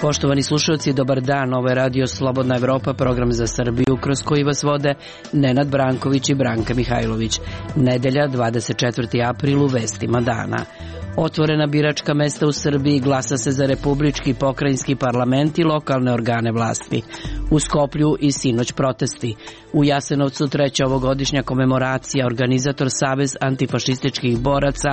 Poštovani slušalci, dobar dan. Ovo je Radio Slobodna Evropa, program za Srbiju, kroz koji vas vode Nenad Branković i Branka Mihajlović. Nedelja, 24. april, u vestima dana. Otvorena biračka mesta u Srbiji, glasa se za republički, pokrajinski parlament i lokalne organe vlasti. U Skoplju i sinoć protesti. U Jasenovcu treća ovogodišnja komemoracija, organizator Savez antifašističkih boraca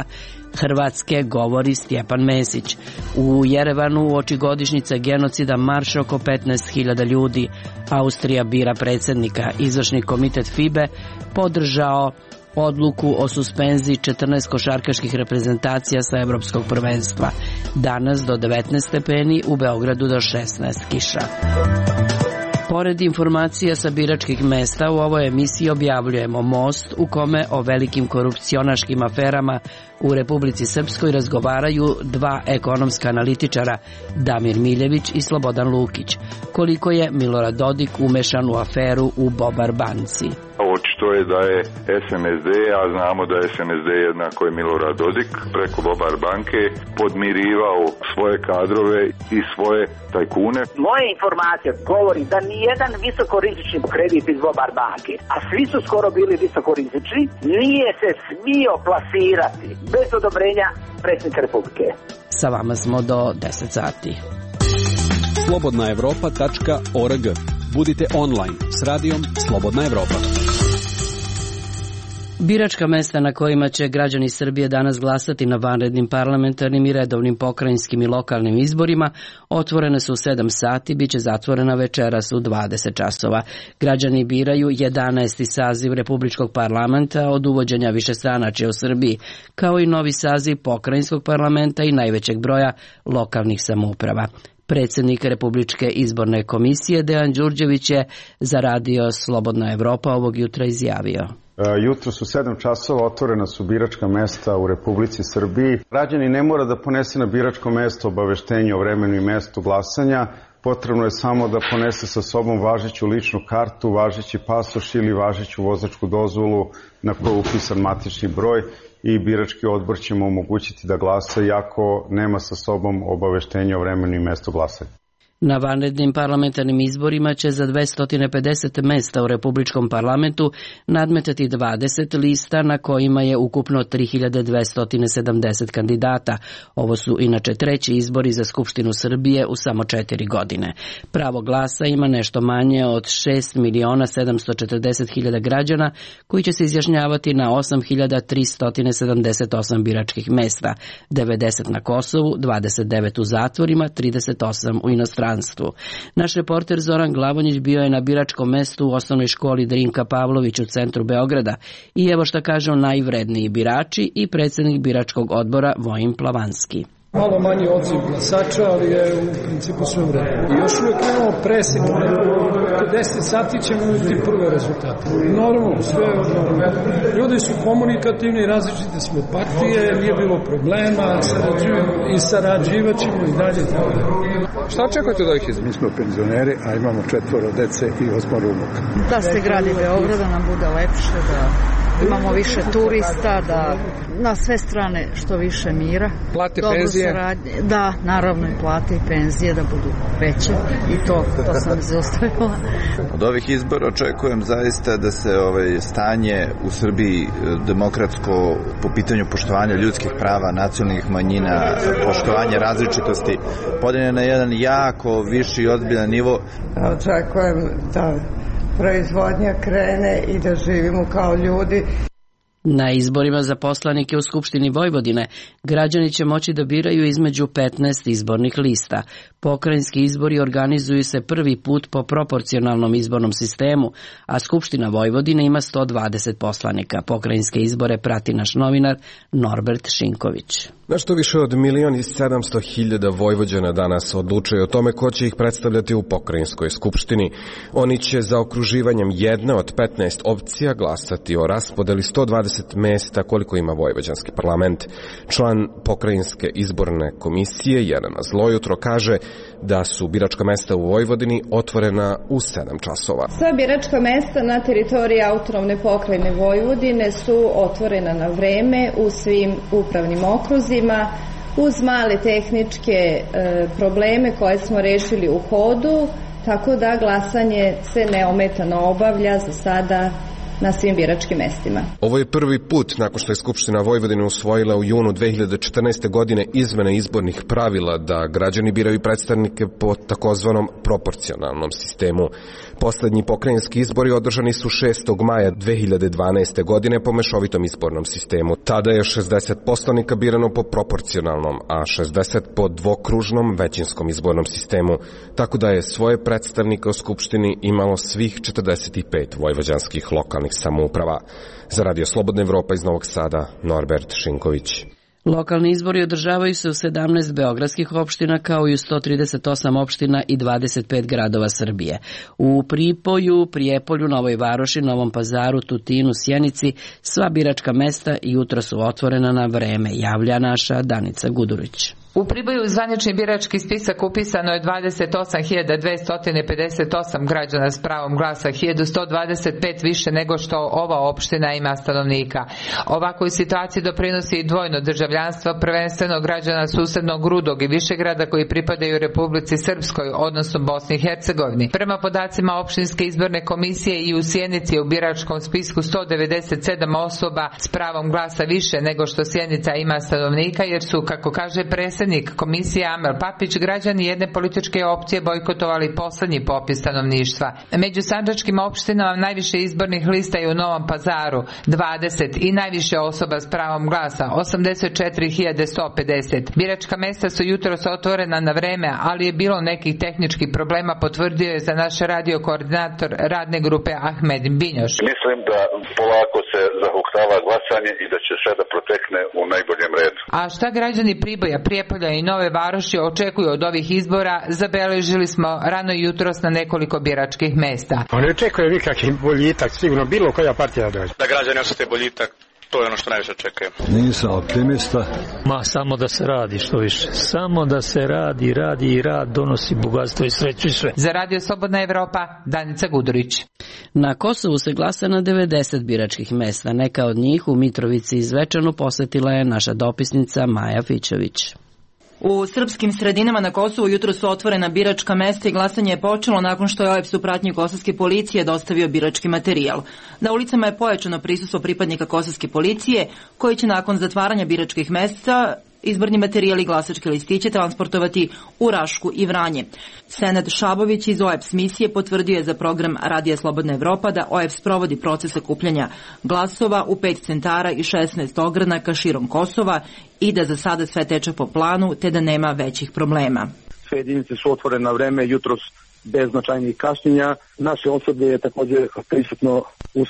Hrvatske, govori Stjepan Mesić. U Jerevanu uoči godišnjice genocida marš oko 15.000 ljudi. Austrija bira predsjednika. Izvršni komitet FIBE podržao odluku o suspenziji 14 košarkaških reprezentacija sa evropskog prvenstva. Danas do 19 stepeni, u Beogradu do 16 kiša. Pored informacija sa biračkih mesta, u ovoj emisiji objavljujemo Most, u kome o velikim korupcionaškim aferama u Republici Srpskoj razgovaraju dva ekonomska analitičara, Damir Miljević i Slobodan Lukić. Koliko je Milorad Dodik umešan u aferu u Bobar banci? Očito je da je SNSD, a znamo da je SNSD jednako je Milorad Dodik, preko Bobar banke podmirivao svoje kadrove i svoje tajkune. Moje informacije govori da nijedan visokorizični kredit iz Bobar banke, a svi su skoro bili visokorizični, nije se smio plasirati bez odobrenja predsjednika Republike. Sa vama smo do 10 sati. slobodnaevropa.org. Budite online s radijom Slobodna Evropa. Biračka mesta na kojima će građani Srbije danas glasati na vanrednim parlamentarnim i redovnim pokrajinskim i lokalnim izborima otvorene su u 7 sati, bit će zatvorena večeras u 20 časova. Građani biraju 11. saziv Republičkog parlamenta od uvođenja višestranačja u Srbiji, kao i novi saziv pokrajinskog parlamenta i najvećeg broja lokalnih samouprava. Predsjednik Republičke izborne komisije Dejan Đurđević je za Radio Slobodna Evropa ovog jutra izjavio. Jutro su 7 časova, otvorena su biračka mesta u Republici Srbiji. Građani ne mora da ponese na biračko mesto obaveštenje o vremenu i mestu glasanja. Potrebno je samo da ponese sa sobom važeću ličnu kartu, važeći pasoš ili važeću vozačku dozvolu na kojoj je upisan matični broj i birački odbor će mu omogućiti da glasa iako nema sa sobom obaveštenje o vremenu i mestu glasanja. Na vanrednim parlamentarnim izborima će za 250 mesta u Republičkom parlamentu nadmetati 20 lista na kojima je ukupno 3270 kandidata. Ovo su inače treći izbori za Skupštinu Srbije u samo 4 godine. Pravo glasa ima nešto manje od 6.740.000 građana koji će se izjašnjavati na 8.378 biračkih mesta, 90 na Kosovu, 29 u zatvorima, 38 u inostranstvu. Naš reporter Zoran Glavonjić bio je na biračkom mestu u osnovnoj školi Drinka Pavlović u centru Beograda i evo šta kažu najvredniji birači i predsjednik biračkog odbora Vojin Plavanski. Malo manji odziv glasača, ali je u principu sve u redu. I još uvijek imamo presek, oko 10 sati ćemo imati prve rezultate. Normalno, sve je normalno. Ljudi su komunikativni, različite smo partije, nije bilo problema, sarađivat ćemo i dalje. Šta očekujete od ovih izbora? Mi smo penzioneri, a imamo 4 dece i 8 unuka. Da se gradi Beograd, da nam bude lepše, da imamo više turista, da na sve strane što više mira. Plate, penzije? Da, naravno i plate i penzije da budu veće i to sam izostavila. Od ovih izbora očekujem zaista da se stanje u Srbiji demokratsko po pitanju poštovanja ljudskih prava, nacionalnih manjina, poštovanja različitosti podigne na jedan jako viši i ozbiljan nivo. Očekujem da proizvodnja krene i da živimo kao ljudi. Na izborima za poslanike u Skupštini Vojvodine građani će moći da biraju između 15 izbornih lista. Pokrajinski izbori organizuju se prvi put po proporcionalnom izbornom sistemu, a Skupština Vojvodine ima 120 poslanika. Pokrajinske izbore prati naš novinar Norbert Šinković. Nešto više od 1.700.000 Vojvođana danas odlučuje o tome ko će ih predstavljati u pokrajinskoj skupštini. Oni će za okruživanjem jedne od 15 opcija glasati o raspodeli 120 20 mesta koliko ima vojvođanski parlament. Član pokrajinske izborne komisije Jelena Zlojutro kaže da su biračka mesta u Vojvodini otvorena u 7 časova. Sva biračka mesta na teritoriji autonomne pokrajine Vojvodine su otvorena na vreme u svim upravnim okruzima, uz male tehničke probleme koje smo rešili u hodu, tako da glasanje se neometano obavlja za sada na svim biračkim mestima. Ovo je prvi put nakon što je Skupština Vojvodine usvojila u junu 2014. godine izmene izbornih pravila da građani biraju predstavnike po takozvanom proporcionalnom sistemu. Poslednji pokrajinski izbori održani su 6. maja 2012. godine po mešovitom izbornom sistemu. Tada je 60 poslanika birano po proporcionalnom, a 60 po dvokružnom većinskom izbornom sistemu, tako da je svoje predstavnike u Skupštini imalo svih 45 vojvođanskih lokalnih samouprava. Za Radio Slobodna Evropa iz Novog Sada, Norbert Šinković. Lokalni izbori održavaju se u 17 beogradskih opština kao i u 138 opština i 25 gradova Srbije. U Pripoju, Prijepolju, Novoj Varoši, Novom Pazaru, Tutinu, Sjenici sva biračka mesta jutro su otvorena na vreme, javlja naša Danica Gudurić. U Priboju zvanični birački spisak upisano je 28.258 građana s pravom glasa, 1125 više nego što ova opština ima stanovnika. Ovakvoj situaciji doprinosi i dvojno državljanstvo, prvenstveno građana susednog Rudog i Višegrada koji pripadaju Republici Srpskoj, odnosno Bosni i Hercegovini. Prema podacima opštinske izborne komisije i u Sjenici je u biračkom spisku 197 osoba s pravom glasa više nego što Sjenica ima stanovnika, jer su, kako kaže predsjednik komisije Amel Papić, građani jedne političke opcije bojkotovali poslednji popis stanovništva. Među sandžačkim opštinama najviše izbornih lista je u Novom Pazaru 20 i najviše osoba s pravom glasa 84.150. Biračka mesta su jutros otvorena na vreme, ali je bilo nekih tehničkih problema, potvrdio je za naš radio koordinator radne grupe Ahmed Binjoš. Mislim da polako se zahuktava glasanje i da će sve da protekne u najboljem redu. A šta građani Priboja, Prijepolja i Nove Varoši očekuju od ovih izbora, zabeležili smo rano jutros na nekoliko biračkih mesta. Ne očekuje nikakvi boljitak, sigurno bilo koja partija dođe. Da građani osjete boljitak, to je ono što najviše očekujem. Nisam optimista. Samo da se radi što više. Samo da se radi i rad donosi bogatstvo i sreću i sve. Za Radio Slobodna Evropa, Danica Gudurić. Na Kosovu se glasa na 90 biračkih mesta. Neka od njih u Mitrovici i Zvečanu posetila je naša dopisnica Maja Fićović. U srpskim sredinama na Kosovu jutro su otvorena biračka mesta i glasanje je počelo nakon što je OEBS u pratnji kosovske policije dostavio birački materijal. Na ulicama je pojačano prisustvo pripadnika kosovske policije koji će nakon zatvaranja biračkih mesta izborni materijal i glasačke listiće transportovati u Rašku i Vranje. Senad Šabović iz OEBS misije potvrdio je za program Radija Slobodna Evropa da OEBS provodi proces sakupljanja glasova u 5 centara i 16 ogranaka širom Kosova i da za sada sve teče po planu te da nema većih problema. Sve jedinice su otvorene na vreme, jutros bez značajnih kašnjenja. Naše osoblje je također prisutno u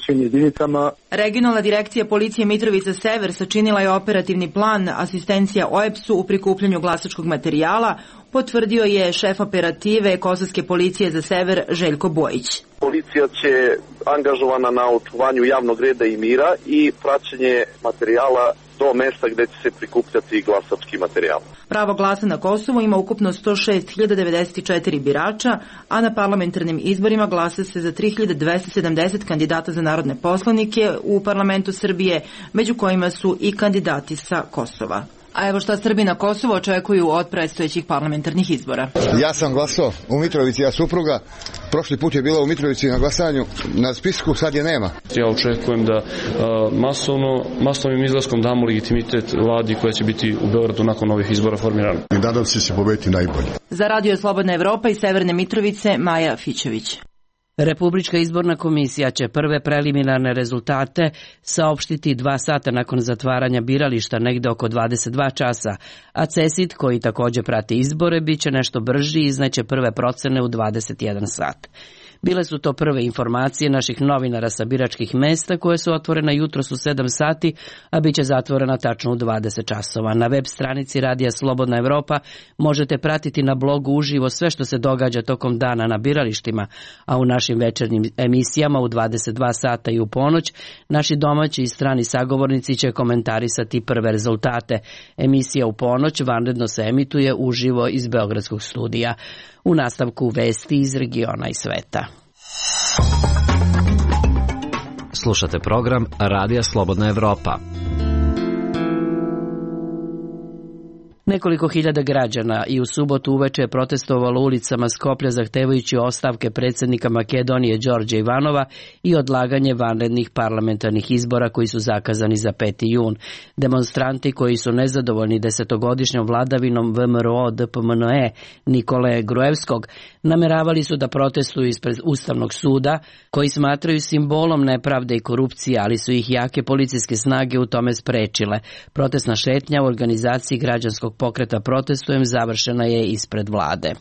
svim jedinicama. Regionalna direkcija policije Mitrovica Sever sačinila je operativni plan asistencija OEBS-u u prikupljanju glasačkog materijala, potvrdio je šef operative Kosovske policije za Sever Željko Bojić. Policija će angažovana na očuvanju javnog reda i mira i praćenje materijala do mesta gde će se prikupljati glasački materijal. Pravo glasa na Kosovu ima ukupno 106.094 birača, a na parlamentarnim izborima glasa se za 3.270 kandidata za narodne poslanike u parlamentu Srbije, među kojima su i kandidati sa Kosova. A evo šta Srbi na Kosovu očekuju od predstojećih parlamentarnih izbora. Ja sam glasao u Mitrovici, ja supruga. Prošli put je bila u Mitrovici na glasanju, na spisku sad je nema. Ja očekujem da masovnim izlaskom damo legitimitet vladi koja će biti u Beogradu nakon ovih izbora formirana. Nadam se da će pobediti najbolje. Za Radio Slobodna Evropa iz Severne Mitrovice, Maja Fićević. Republička izborna komisija će prve preliminarne rezultate saopštiti 2 sata nakon zatvaranja birališta, negde oko 22 časa, a CESID, koji takođe prati izbore, bit će nešto brži i izneće prve procene u 21 sat. Bile su to prve informacije naših novinara sa biračkih mesta koje su otvorena jutros u 7 sati, a bit će zatvorena tačno u 20 časova. Na web stranici Radija Slobodna Evropa možete pratiti na blogu uživo sve što se događa tokom dana na biralištima, a u našim večernjim emisijama u 22 sata i u ponoć naši domaći i strani sagovornici će komentarisati prve rezultate. Emisija u ponoć vanredno se emituje uživo iz Beogradskog studija. U nastavku vesti iz regiona i sveta. Slušate program Radija Slobodna Evropa. Nekoliko hiljada građana i u subotu uveče je protestovalo ulicama Skoplja zahtevajući ostavke predsjednika Makedonije Đorđa Ivanova i odlaganje vanrednih parlamentarnih izbora koji su zakazani za 5. jun. Demonstranti koji su nezadovoljni 10-godišnjom vladavinom VMRO DPMNE Nikole Gruevskog nameravali su da protestuju ispred Ustavnog suda, koji smatraju simbolom nepravde i korupcije, ali su ih jake policijske snage u tome sprečile. Protestna šetnja u organizaciji građanskog pokreta Protestujem završena je ispred vlade.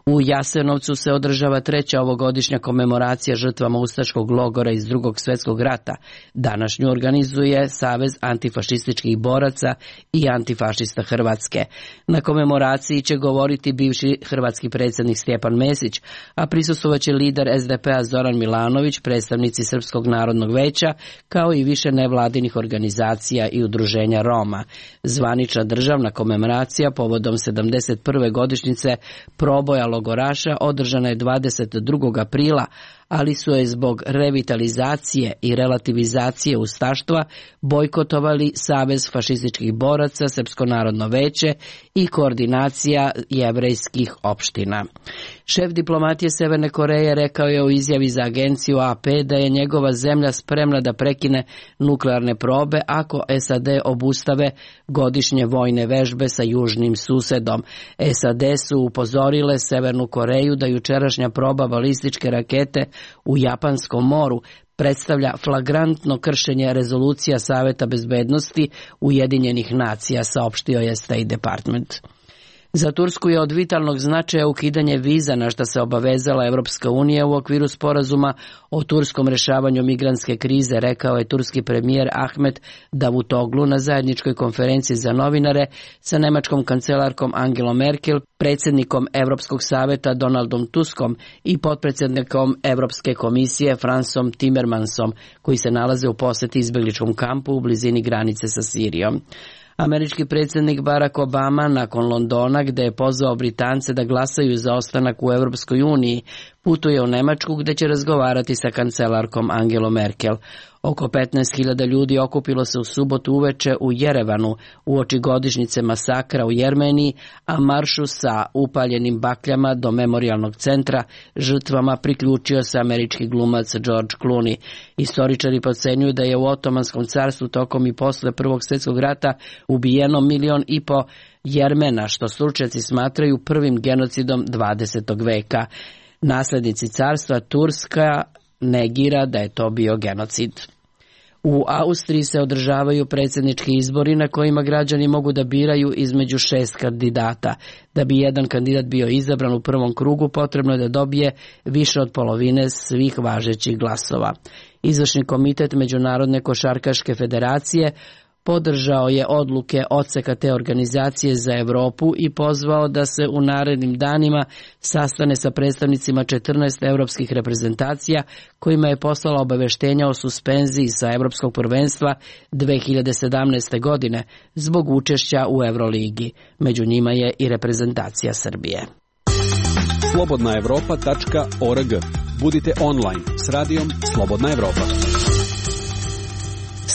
U Jasenovcu se održava 3. ovogodišnja komemoracija žrtvama ustaškog logora iz Drugog svjetskog rata. Današnju organizuje Savez antifašističkih boraca i antifašista Hrvatske. Na komemoraciji će govoriti bivši hrvatski predsjednik Stjepan Mesić, a prisustvovaće lider SDP-a Zoran Milanović, predstavnici Srpskog narodnog veća, kao i više nevladinih organizacija i udruženja Roma. Zvanična državna komemoracija povodom 71. godišnjice proboja logoraša održana je 22. aprila, ali su je zbog revitalizacije i relativizacije ustaštva bojkotovali Savez fašističkih boraca, Srpsko narodno veće i koordinacija jevrejskih opština. Šef diplomatije Severne Koreje rekao je u izjavi za agenciju AP da je njegova zemlja spremna da prekine nuklearne probe ako SAD obustave godišnje vojne vežbe sa južnim susedom. SAD su upozorile Severnu Koreju da jučerašnja proba balističke rakete u Japanskom moru predstavlja flagrantno kršenje rezolucija Saveta bezbednosti Ujedinjenih nacija, saopštio je State Department. Za Tursku je od vitalnog značaja ukidanje viza na što se obavezala Evropska unija u okviru sporazuma o turskom rešavanju migrantske krize, rekao je turski premijer Ahmet Davutoglu na zajedničkoj konferenciji za novinare sa nemačkom kancelarkom Angelom Merkel, predsjednikom Evropskog saveta Donaldom Tuskom i potpredsjednikom Evropske komisije Fransom Timmermansom, koji se nalaze u posjeti izbjegličkom kampu u blizini granice sa Sirijom. Američki predsjednik Barack Obama nakon Londona, gde je pozvao Britance da glasaju za ostanak u Europskoj uniji, putuje u Nemačku gde će razgovarati sa kancelarkom Angelom Merkel. Oko 15.000 ljudi okupilo se u subotu uveče u Jerevanu uoči godišnjice masakra u Jermeniji, a maršu sa upaljenim bakljama do memorijalnog centra žrtvama priključio se američki glumac George Clooney. Istoričari procenjuju da je u Otomanskom carstvu tokom i posle Prvog svjetskog rata ubijeno 1,5 miliona Jermena, što stručnjaci smatraju prvim genocidom 20. veka. Naslednici carstva Turska negira da je to bio genocid. U Austriji se održavaju predsjednički izbori na kojima građani mogu da biraju između 6 kandidata. Da bi jedan kandidat bio izabran u prvom krugu, potrebno je da dobije više od polovine svih važećih glasova. Izvršni komitet Međunarodne košarkaške federacije podržao je odluke odseka te organizacije za Evropu i pozvao da se u narednim danima sastane sa predstavnicima 14 evropskih reprezentacija kojima je poslala obaveštenja o suspenziji sa Evropskog prvenstva 2017. godine zbog učešća u Euroligi. Među njima je i reprezentacija Srbije. slobodnaevropa.org. Budite online s radijom Slobodna Evropa.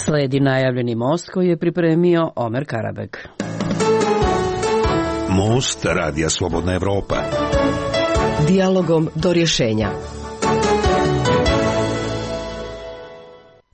Sledi najavljeni most koji je pripremio Omer Karabek. Most Radija Slobodna Evropa. Dijalogom do rješenja.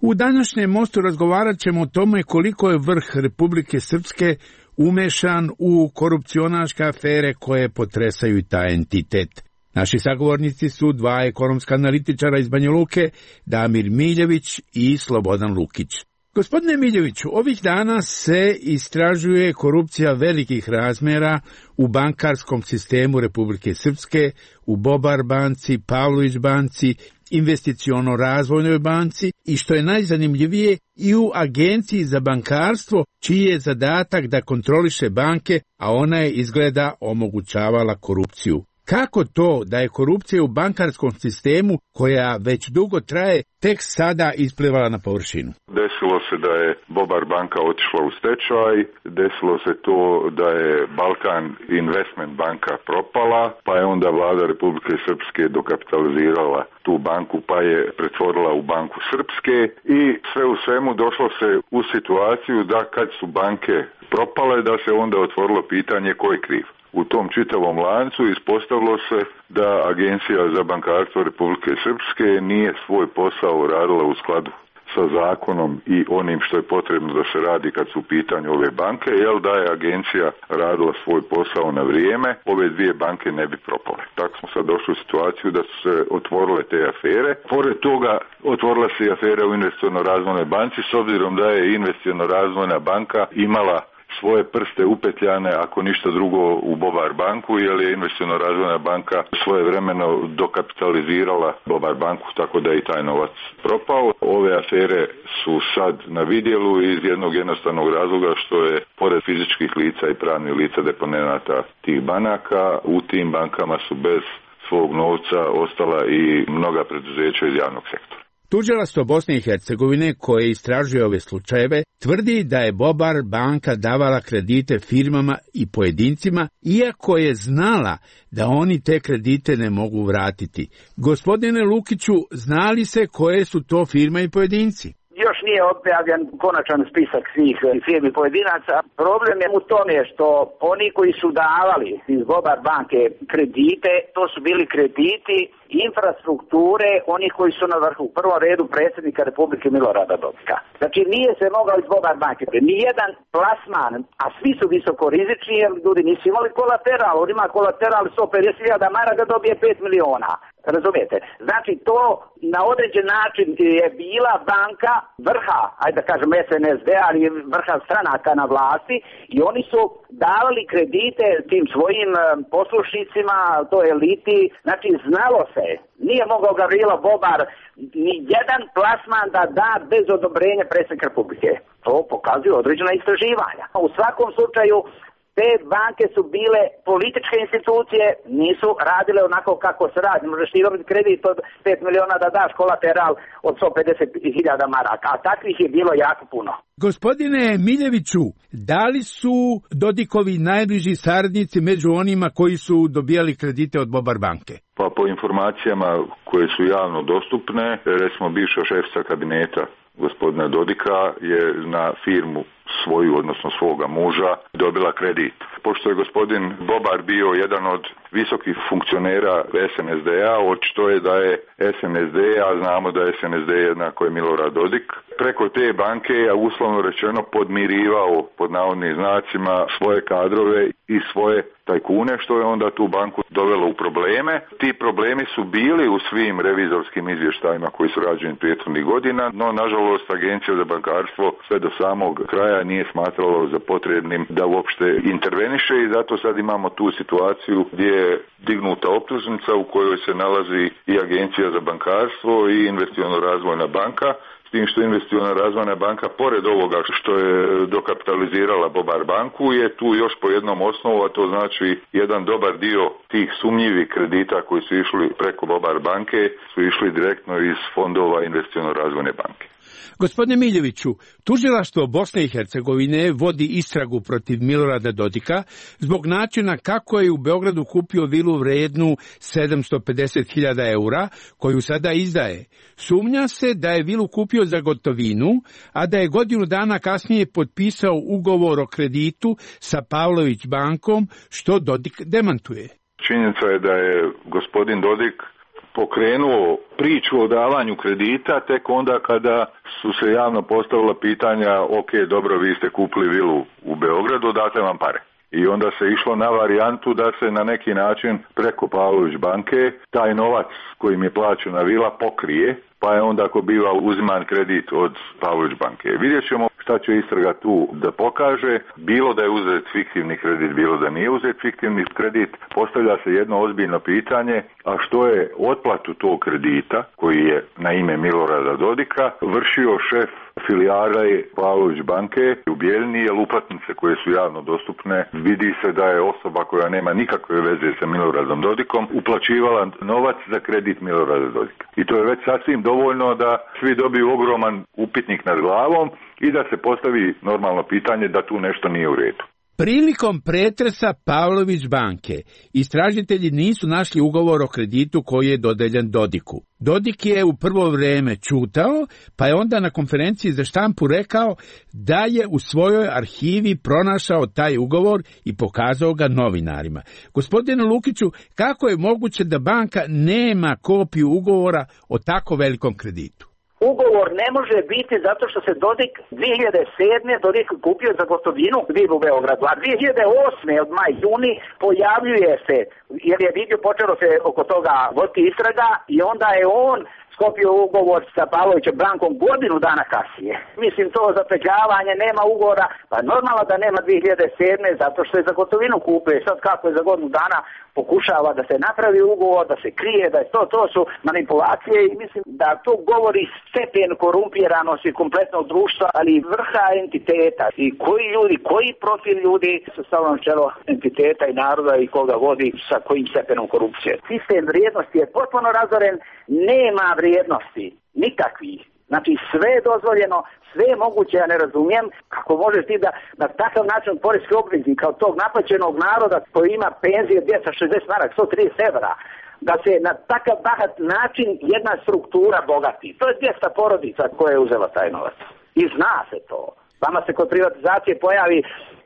U današnjem mostu razgovarat ćemo o tome koliko je vrh Republike Srpske umešan u korupcionaške afere koje potresaju taj entitet. Naši sagovornici su dva ekonomska analitičara iz Banja Luke, Damir Miljević i Slobodan Lukić. Gospodine Miljeviću, ovih dana se istražuje korupcija velikih razmjera u bankarskom sistemu Republike Srpske, u Bobar banci, Pavlović banci, Investiciono-razvojnoj banci i što je najzanimljivije i u Agenciji za bankarstvo, čiji je zadatak da kontroliše banke, a ona je izgleda omogućavala korupciju. Kako to da je korupcija u bankarskom sistemu, koja već dugo traje, tek sada isplivala na površinu? Desilo se da je Bobar banka otišla u stečaj, desilo se to da je Balkan Investment banka propala, pa je onda vlada Republike Srpske dokapitalizirala tu banku, pa je pretvorila u Banku Srpske i sve u svemu došlo se u situaciju da kad su banke propale, da se onda otvorilo pitanje ko je kriv. U tom čitavom lancu ispostavilo se da Agencija za bankarstvo Republike Srpske nije svoj posao radila u skladu sa zakonom i onim što je potrebno da se radi kad su u pitanju ove banke, jer da je agencija radila svoj posao na vrijeme, ove dvije banke ne bi propale. Tako smo sad došli u situaciju da su se otvorile te afere. Pored toga otvorila se i afera u Investiciono-razvojnoj banci, s obzirom da je Investiciono-razvojna banka imala svoje prste upetljane, ako ništa drugo, u Bobar banku, jer je Investiciono-razvojna banka svojevremeno dokapitalizirala Bobar banku, tako da je i taj novac propao. Ove afere su sad na vidjelu iz jednog jednostavnog razloga što je, pored fizičkih lica i pravnih lica deponenata tih banaka, u tim bankama su bez svog novca ostala i mnoga preduzeća iz javnog sektora. Tužilaštvo Bosne i Hercegovine, koje istražuje ove slučajeve, tvrdi da je Bobar banka davala kredite firmama i pojedincima, iako je znala da oni te kredite ne mogu vratiti. Gospodine Lukiću, znali se koje su to firme i pojedinci? Još nije objavljen konačan spisak svih firmi pojedinaca. Problem je u tome što oni koji su davali iz Bobar banke kredite, to su bili krediti infrastrukture onih koji su na vrhu. U prvom redu predsjednika Republike Milorada Dodika. Znači nije se mogao iz Bobar banke. Nijedan plasman, a svi su visoko rizični jer ljudi nisu imali kolateral. On ima kolateral 150.000 maraka da dobije 5 miliona. Razumijete? Znači to na određen način je bila banka vrha, ajde da kažem SNSD, ali vrha stranaka na vlasti i oni su davali kredite tim svojim poslušnicima, to eliti, znači znalo se, nije mogao Gavrilo Bobar ni jedan plasman da bez odobrenja predsjednika Republike. To pokazuju određena istraživanja. U svakom slučaju te banke su bile političke institucije, nisu radile onako kako se radi. Možeš ti dobiti kredit od 5 miliona da daš kolateral od 150.000 maraka, a takvih je bilo jako puno. Gospodine Miljeviću, da li su Dodikovi najbliži saradnici među onima koji su dobijali kredite od Bobar banke? Pa po informacijama koje su javno dostupne, recimo bivša šefica kabineta gospodina Dodika je na firmu svoju, odnosno svoga muža, dobila kredit. Pošto je gospodin Bobar bio jedan od visokih funkcionera SNSD-a, očito je da je SNSD, a znamo da je SNSD jednako je Milorad Dodik, preko te banke je uslovno rečeno podmirivao, pod navodnim znacima, svoje kadrove i svoje tajkune, što je onda tu banku dovelo u probleme. Ti problemi su bili u svim revizorskim izvještajima koji su rađeni prethodnih godina, no nažalost Agencija za bankarstvo sve do samog kraja nije smatralo za potrebnim da uopšte interveniše i zato sad imamo tu situaciju gdje je dignuta optužnica u kojoj se nalazi i Agencija za bankarstvo i Investiciono-razvojna banka, s tim što Investiciono-razvojna banka, pored ovoga što je dokapitalizirala Bobar banku, je tu još po jednom osnovu, a to znači jedan dobar dio tih sumnjivih kredita koji su išli preko Bobar banke su išli direktno iz fondova Investiciono-razvojne banke. Gospodine Miljeviću, tužilaštvo Bosne i Hercegovine vodi istragu protiv Milorada Dodika zbog načina kako je u Beogradu kupio vilu vrednu 750.000 eura, koju sada izdaje. Sumnja se da je vilu kupio za gotovinu, a da je godinu dana kasnije potpisao ugovor o kreditu sa Pavlović bankom, što Dodik demantuje. Činjenica je da je gospodin Dodik pokrenuo priču o davanju kredita tek onda kada su se javno postavila pitanja, ok, dobro, vi ste kupili vilu u Beogradu, date vam pare. I onda se išlo na varijantu da se na neki način preko Pavlović banke taj novac kojim je plaćena vila pokrije, pa je onda ako biva uziman kredit od Pavlović banke. Vidjet ćemo šta će istraga tu da pokaže, bilo da je uzet fiktivni kredit, bilo da nije uzet fiktivni kredit, postavlja se jedno ozbiljno pitanje, a što je otplatu tog kredita, koji je na ime Milorada Dodika, vršio šef filijale Pavlović banke u Bijeljini, jer uplatnice koje su javno dostupne, vidi se da je osoba koja nema nikakve veze sa Miloradom Dodikom uplaćivala novac za kredit Milorada Dodika. I to je već sasvim dovoljno da svi dobiju ogroman upitnik nad glavom i da se postavi normalno pitanje da tu nešto nije u redu. Prilikom pretresa Pavlović banke istražitelji nisu našli ugovor o kreditu koji je dodeljen Dodiku. Dodik je u prvo vreme ćutao, pa je onda na konferenciji za štampu rekao da je u svojoj arhivi pronašao taj ugovor i pokazao ga novinarima. Gospodine Lukiću, kako je moguće da banka nema kopiju ugovora o tako velikom kreditu? Ugovor ne može biti zato što se Dodik 2007. Dodik kupio za gotovinu vilu u Beogradu, a 2008. od maj-juni pojavljuje se, jer je vidio počelo se oko toga voditi istraga i onda je on sklopio ugovor sa Pavlovićem bankom godinu dana kasnije. Mislim, to zapetljavanje, nema ugovora, pa normalno da nema 2007. zato što je za gotovinu kupio. Sad kako je za godinu dana pokušava da se napravi ugovor, da se krije, da je to su manipulacije i mislim da to govori stepen korumpiranosti kompletnog društva, ali i vrha entiteta i koji ljudi, koji profil ljudi su stavljeno čelo entiteta i naroda i koga vodi sa kojim stepenom korupcije. Sistem vrijednosti je potpuno razoren, nema vrijednosti, nikakvih. Znači sve je dozvoljeno, sve je moguće, ja ne razumijem kako možeš ti da na takav način poreski obveznik kao tog naplaćenog naroda koji ima penzije 260 maraka, 130 evra, da se na takav bahat način jedna struktura bogati. To je 200 porodica koja je uzela taj novac. I zna se to. Vama se kod privatizacije pojavi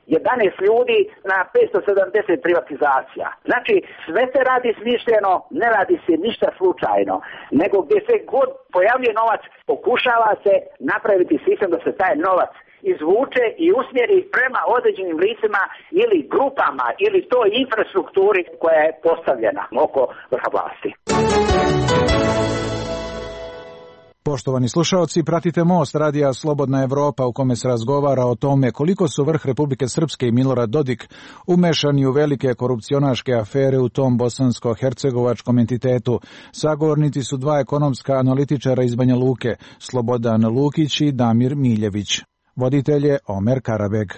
11 ljudi na 570 privatizacija. Znači, sve se radi smišljeno, ne radi se ništa slučajno, nego gdje se god pojavljuje novac, pokušava se napraviti sistem da se taj novac izvuče i usmjeri prema određenim licima ili grupama ili toj infrastrukturi koja je postavljena oko vrha vlasti. Poštovani slušaoci, pratite Most radija Slobodna Evropa u kome se razgovara o tome koliko su vrh Republike Srpske i Milorad Dodik umešani u velike korupcionaške afere u tom bosansko-hercegovačkom entitetu. Sagovornici su dva ekonomska analitičara iz Banja Luke, Slobodan Lukić i Damir Miljević. Voditelj je Omer Karabeg.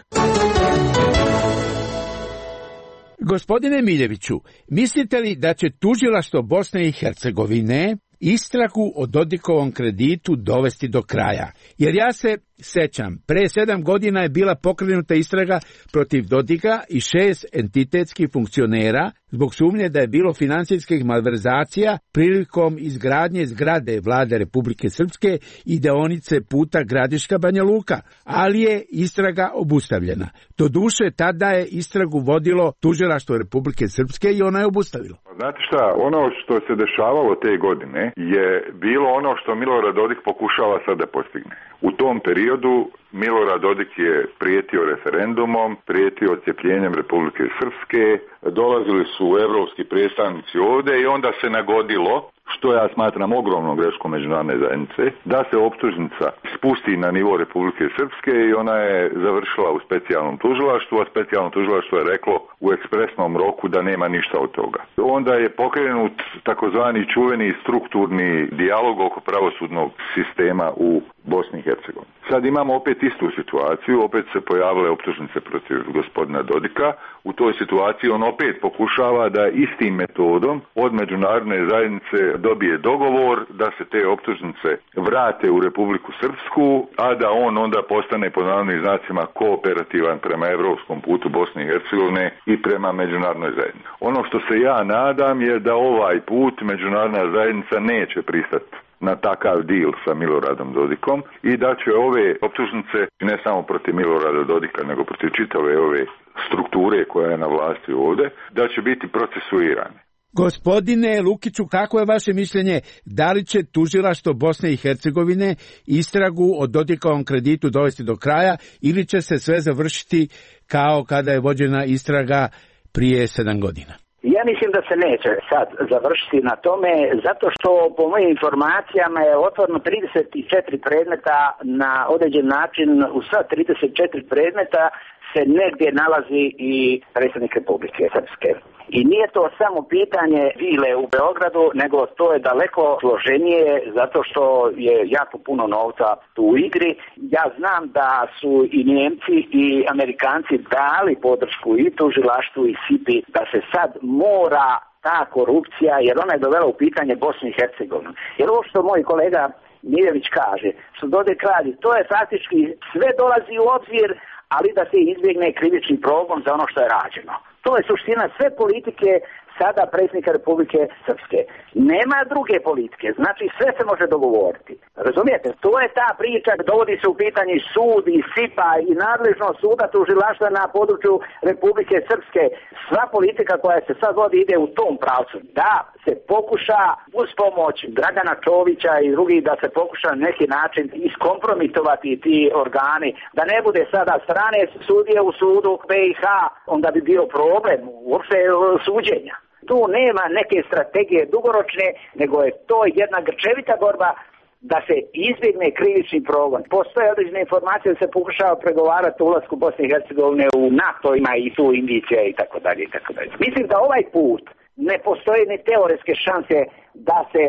Gospodine Miljeviću, mislite li da će tužilaštvo Bosne i Hercegovine istragu o Dodikovom kreditu dovesti do kraja? Jer ja se sećam, pre 7 godina je bila pokrenuta istraga protiv Dodika i 6 entitetskih funkcionera zbog sumnje da je bilo finansijskih malverzacija prilikom izgradnje zgrade Vlade Republike Srpske i deonice puta Gradiška Banja Luka, ali je istraga obustavljena. Doduše, tada je istragu vodilo tužilaštvo Republike Srpske i ona je obustavilo. Znate šta, ono što se dešavalo te godine je bilo ono što Milorad Dodik pokušava sad da postigne. U tom periodu Milorad Dodik je prijetio referendumom, prijetio odcjepljenjem Republike Srpske, dolazili su evropski predstavnici ovdje i onda se nagodilo, što ja smatram ogromnom greškom međunarodne zajednice, da se optužnica spusti na nivo Republike Srpske i ona je završila u specijalnom tužilaštvu, a specijalno tužilaštvo je reklo u ekspresnom roku da nema ništa od toga. Onda je pokrenut takozvani čuveni strukturni dijalog oko pravosudnog sistema u Bosni i Hercegovini. Sad imamo opet istu situaciju, opet se pojavile optužnice protiv gospodina Dodika. U toj situaciji on opet pokušava da istim metodom od međunarodne zajednice dobije dogovor da se te optužnice vrate u Republiku Srpsku, a da on onda postane po navodnim znacima kooperativan prema evropskom putu Bosne i Hercegovine i prema međunarodnoj zajednici. Ono što se ja nadam je da ovaj put međunarodna zajednica neće pristati na takav deal sa Miloradom Dodikom i da će ove optužnice ne samo protiv Milorada Dodika nego protiv čitave ove strukture koja je na vlasti ovdje, da će biti procesuirane. Gospodine Lukiću, kako je vaše mišljenje, da li će tužilaštvo Bosne i Hercegovine istragu o Dodikovom kreditu dovesti do kraja ili će se sve završiti kao kada je vođena istraga prije 7 godina? Ja mislim da se neće sad završiti na tome, zato što po mojim informacijama je otvoreno 34 predmeta na određen način. U sva 34 predmeta se negdje nalazi i predsjednik Republike Srpske. I nije to samo pitanje vile u Beogradu, nego to je daleko složenije zato što je jako puno novca tu u igri. Ja znam da su i Njemci i Amerikanci dali podršku i tužilaštvu i SIPI da se sad mora ta korupcija, jer ona je dovela u pitanje Bosnu i Hercegovinu. Jer ovo što moj kolega Miljević kaže, što Dodik radi, to je faktički sve dolazi u obzir, ali da se izbjegne krivični progon za ono što je rađeno. To je suština sve politike sada predsjednika Republike Srpske. Nema druge politike, znači sve se može dogovoriti. Razumijete? To je ta priča, dovodi se u pitanje sud i SIPA i nadležnost suda tužilaštva na području Republike Srpske. Sva politika koja se sad vodi ide u tom pravcu. Da se pokuša uz pomoć Dragana Čovića i drugih da se pokuša na neki način iskompromitovati ti organi, da ne bude sada strane sudije u sudu BiH, onda bi bio problem uopšte suđenja. Tu nema neke strategije dugoročne, nego je to jedna grčevita borba da se izbjegne krivični progon. Postoje određene informacije da se pokušava pregovarati o ulasku Bosne i Hercegovine u NATO, ima i tu indicija i tako dalje i tako dalje. Mislim da ovaj put ne postoje ni teoretske šanse da se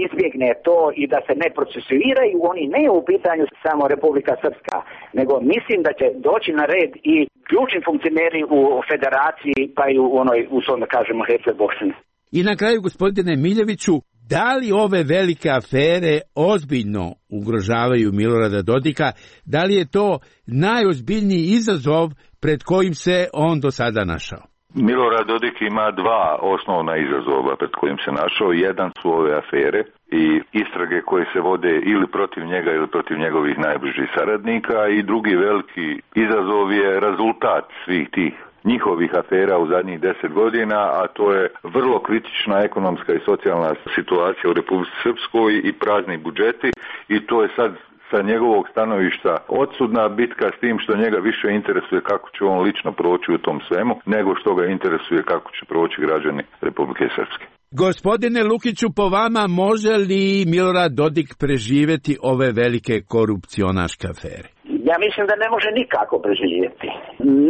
izbjegne to i da se ne procesuiraju. Oni ne u pitanju samo Republika Srpska, nego mislim da će doći na red i ključni funkcioneri u federaciji, pa i u onoj, uslovno kažemo, Herceg-Bosni. I na kraju, gospodine Miljeviću, da li ove velike afere ozbiljno ugrožavaju Milorada Dodika? Da li je to najozbiljniji izazov pred kojim se on do sada našao? Milorad Dodik ima dva osnovna izazova pred kojim se našao. Jedan su ove afere i istrage koje se vode ili protiv njega ili protiv njegovih najbližih saradnika, i drugi veliki izazov je rezultat svih tih njihovih afera u zadnjih 10 godina, a to je vrlo kritična ekonomska i socijalna situacija u Republici Srpskoj i prazni budžeti, i to je sad sa njegovog stanovišta odsudna bitka, s tim što njega više interesuje kako će on lično proći u tom svemu, nego što ga interesuje kako će proći građani Republike Srpske. Gospodine Lukiću, po vama može li Milorad Dodik preživjeti ove velike korupcionaške afere? Ja mislim da ne može nikako preživjeti.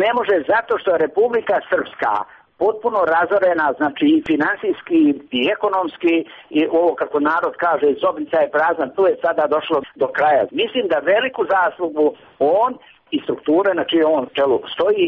Ne može zato što je Republika Srpska potpuno razorena, znači i finansijski i ekonomski, i ovo kako narod kaže, zobnica je prazna, tu je sada došlo do kraja. Mislim da veliku zaslugu on i strukture na čije on čelu stoji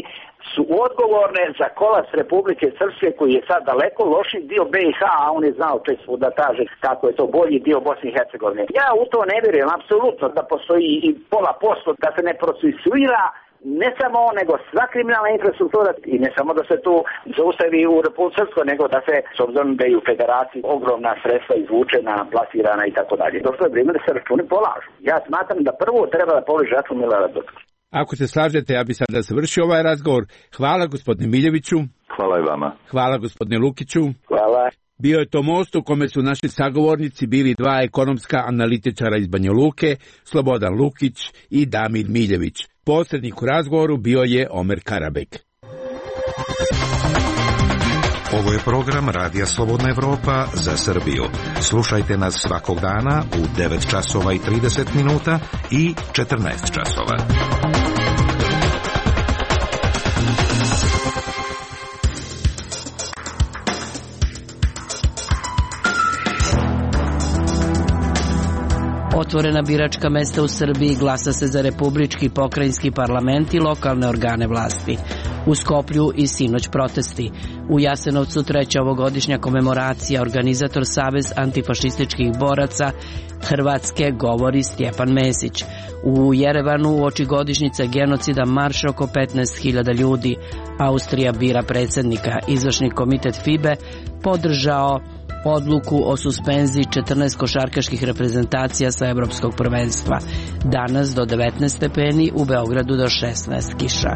su odgovorne za kolaps Republike Srpske, koji je sad daleko loši dio BiH, a on je znao često da kaže kako je to bolji dio Bosne i Hercegovine. Ja u to ne vjerujem apsolutno da postoji i 0,5% da se ne procesuira ne samo on, nego sva kriminalna infrastruktura, i ne samo da se tu zaustavi u Republiku Srpskoj, nego da se, s obzirom da je u federaciji ogromna sredstva izvučena, plasirana i tako dalje. Došlo je vrijeme da se računi polažu. Ja smatram da prvo treba da položi račun Milorad Dodik. Ako se slažete, ja bi sada završio ovaj razgovor. Hvala gospodine Miljeviću. Hvala i vama. Hvala gospodine Lukiću. Hvala. Bio je to most u kome su naši sagovornici bili dva ekonomska analitičara iz Banja Luke, Slobodan Lukić i Damir Miljević. Posrednik u razgovoru bio je Omer Karabek. Ovo je program Radija Slobodna Evropa za Srbiju. Slušajte nas svakog dana u 9 časova i 30 minuta i 14 časova. Otvorena biračka mesta u Srbiji, glasa se za republički, pokrajinski parlament i lokalne organe vlasti. U Skoplju i sinoć protesti. U Jasenovcu treća ovogodišnja komemoracija, organizator Savez antifašističkih boraca Hrvatske, govori Stjepan Mesić. U Jerevanu uoči godišnjice genocida marš oko 15.000 ljudi. Austrija bira predsjednika. Izvršni komitet FIBE podržao odluku o suspenziji 14 košarkaških reprezentacija sa evropskog prvenstva. Danas do 19 stepeni, u Beogradu do 16 kiša.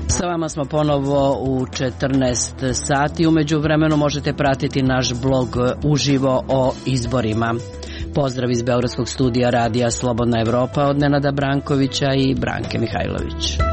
Sa vama smo ponovo u 14 sati. Umeđu vremenu možete pratiti naš blog uživo o izborima. Pozdrav iz Beogradskog studija Radija Slobodna Evropa od Nenada Brankovića i Branke Mihajlović.